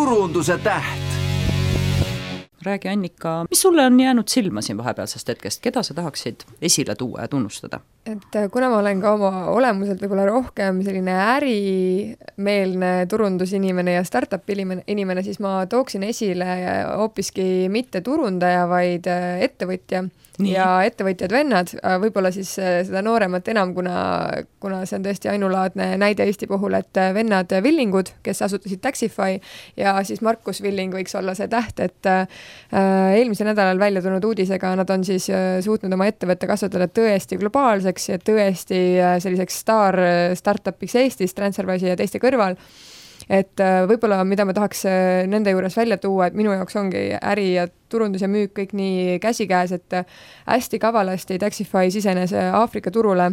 turunduse täht. Räägi, Annika, mis sulle on jäänud silma siin vahepealsest hetkest? Keda sa tahaksid esile tuua ja tunnustada? Et kuna ma olen ka oma olemuselt võib-olla rohkem selline ärimeelne turundusinimene ja startup inimene, siis ma tooksin esile hoopiski mitte turundaja, vaid ettevõtja. Nii. Ja ettevõtjad vennad, võib-olla siis seda nooremat enam, kuna see on tõesti ainulaadne näide Eesti puhul, et vennad Villingud, kes asutasid Taxify ja siis Markus Villing võiks olla see täht, et eelmisel nädalal välja tulnud uudisega nad on siis suutnud oma ettevõtte kasvatada tõesti globaalseks ja tõesti selliseks startupiks Eestis, Transferwise'i ja teiste kõrval. Et võib-olla, mida ma tahaks nende juures välja tuua, et minu jaoks ongi äri ja turundus ja müük kõik nii käsikäes, et hästi kavalasti Taxify sisenes Aafrika turule,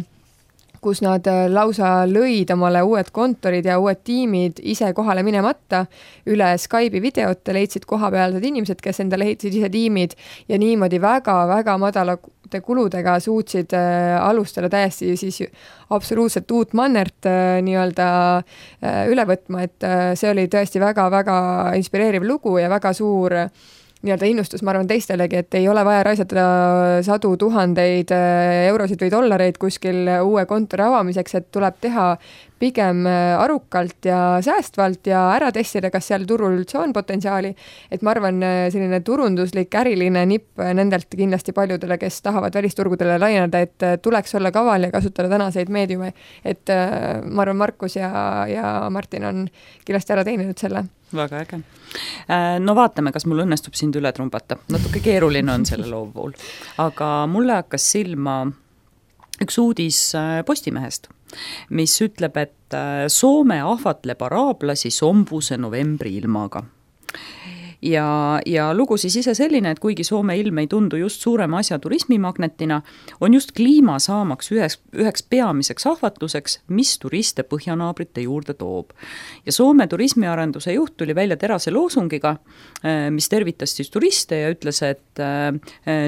kus nad lausa lõid omale uued kontorid ja uued tiimid ise kohale minemata üle Skype'i videote, leidsid kohapealsed inimesed, kes endale ehitasid ise tiimid ja niimoodi väga-väga madalate kuludega suutsid alustada täiesti siis absoluutselt uut mannert nii-öelda üle võtma, et see oli tõesti väga-väga inspireeriv lugu ja väga suur nii-öelda innustus, ma arvan teistelegi, et ei ole vaja raisata sadu tuhandeid eurosid või dollareid kuskil uue kontori avamiseks, et tuleb teha pigem arukalt ja säästvalt ja ära testida, kas seal turul üldse on potentsiaali. Et ma arvan, selline turunduslik äriline nipp nendelt kindlasti paljudele, kes tahavad välisturgudele laieneda, et tuleks olla kaval ja kasutada tänaseid meediume. Et ma arvan, Markus ja Martin on kindlasti ära teeninud selle. Väga äge. No vaatame, kas mul õnnestub sind üle trumbata. Natuke keeruline on selle loo pool. Aga mulle hakkas silma üks uudis Postimehest, mis ütleb, et Soome ahvatleb araablasi sombuse novembri ilmaga. Ja lugu siis ise selline, et kuigi Soome ilm ei tundu just suurema asja turismimagnetina, on just kliima saamaks üheks peamiseks ahvatluseks, mis turiste põhjanaabrite juurde toob. Ja Soome turismiarenduse juht tuli välja terase loosungiga, mis tervitas siis turiste ja ütles, et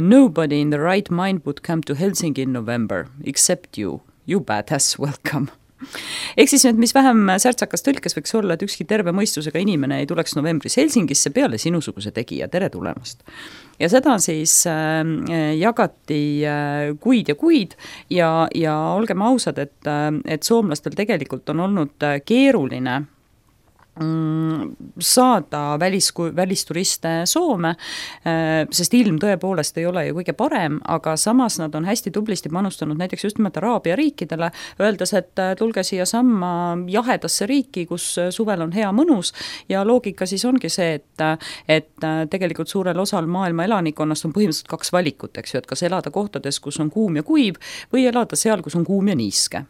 nobody in the right mind would come to Helsinki in November, except you badass, welcome. Ehk siis nüüd, mis vähem särtsakas tõlkes võiks olla, et ükski terve mõistusega inimene ei tuleks novembris Helsingisse peale sinusuguse tegija, tere tulemast. Ja seda siis jagati kuid ja olgem ausad, et soomlastel tegelikult on olnud keeruline saada välisturiste Soome, sest ilm tõepoolest ei ole ju kõige parem, aga samas nad on hästi tublisti panustanud näiteks just nimelt Araabia riikidele, öeldes, et tulge siia samma jahedasse riiki, kus suvel on hea mõnus ja loogika siis ongi see, et tegelikult suurel osal maailma elanikonnast on põhimõtteliselt kaks valikut, eks ju, et kas elada kohtades, kus on kuum ja kuiv või elada seal, kus on kuum ja niiske.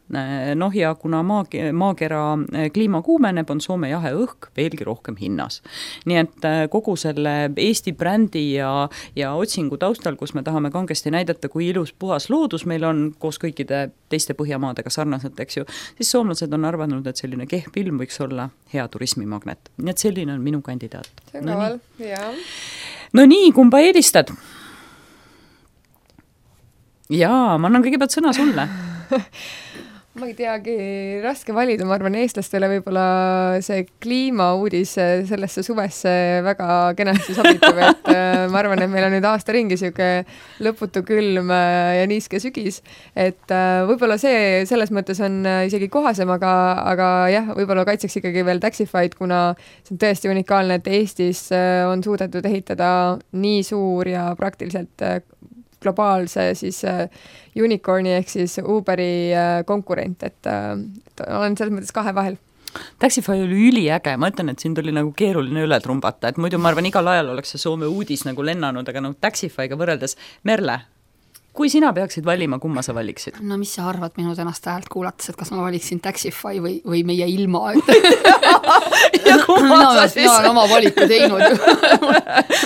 Noh ja kuna maakera kliima kuumeneb, on Soome jahe õhk veelgi rohkem hinnas. Nii et kogu selle Eesti brändi ja otsingu taustal, kus me tahame kangesti näidata, kui ilus puhas loodus meil on koos kõikide teiste Põhjamaadega sarnaselt, eks ju, siis soomlased on arvanud, et selline kehv ilm võiks olla hea turismimagnet. Nii et selline on minu kandidaat. See on kaval, jaa. No nii, kumba eelistad? Jaa, ma annan kõigepealt sõna sulle. Ma ei teagi, raske valida, ma arvan eestlastele võib-olla see kliimauudis sellesse suvesse väga kenasti sobitub, et ma arvan, et meil on nüüd aasta ringi siuke lõputu külm ja niiske sügis, et võib-olla see selles mõttes on isegi kohasem, aga jah, võib-olla kaitseks ikkagi veel Taxify'd, kuna see on tõesti unikaalne, et Eestis on suudetud ehitada nii suur ja praktiliselt globaalse siis unicorni ehk siis Uberi konkurent, et olen selles mõttes kahe vahel. Taxify oli üliäge, ma ütlen, et siin tuli nagu keeruline üle trumbata, et muidu ma arvan, igal ajal oleks see Soome uudis nagu lennanud, aga no Taxify'ga võrreldes. Merle, kui sina peaksid valima, kumma sa valiksid? No mis sa arvad minu tänast häält kuulates, et kas ma valiksin Taxify või meie ilma? Ja kumma sa siis? Mina olen oma valiku teinud.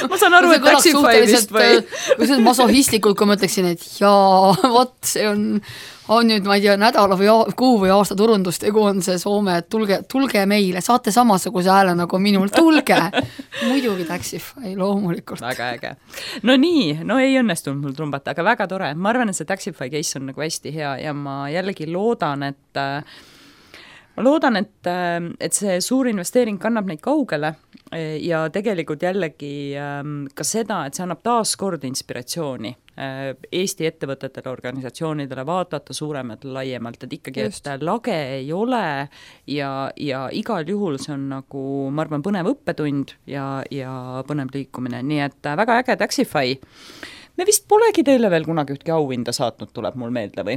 Ma saan aru, et Taxify vist või? Kui see on masohistlikult, kui ma ütleksin, et jaa, vot see on nüüd, ma ei tea, nädala või kuu või aasta turundustegu on see Soome, et tulge meile, saate samasuguse hääle nagu minul, tulge. Muidugi Taxify, loomulikult. Väga äge. No nii, no ei õnnestunud mul trumbata, aga väga tore. Ma arvan, et see Taxify case on nagu hästi hea ja ma jällegi loodan, et see suur investeering kannab neid kaugele ja tegelikult jällegi ka seda, et see annab taaskord inspiratsiooni Eesti ettevõtetele, organisatsioonidele vaadata suuremalt, laiemalt, et ikkagi, et lage ei ole ja igal juhul see on nagu, ma arvan, põnev õppetund ja põnev liikumine, nii et väga äge Taxify. Me vist polegi teile veel kunagi ühtki auhinda saatnud, tuleb mul meelde või?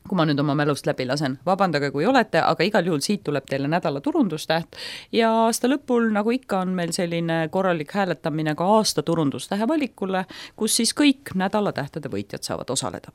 Kui ma nüüd oma mälust läbi lasen, vabandage, kui olete, aga igal juhul siit tuleb teile nädala turundustäht ja aasta lõpul, nagu ikka, on meil selline korralik hääletamine ka aasta turundustähe valikule, kus siis kõik nädala tähtede võitjad saavad osaleda.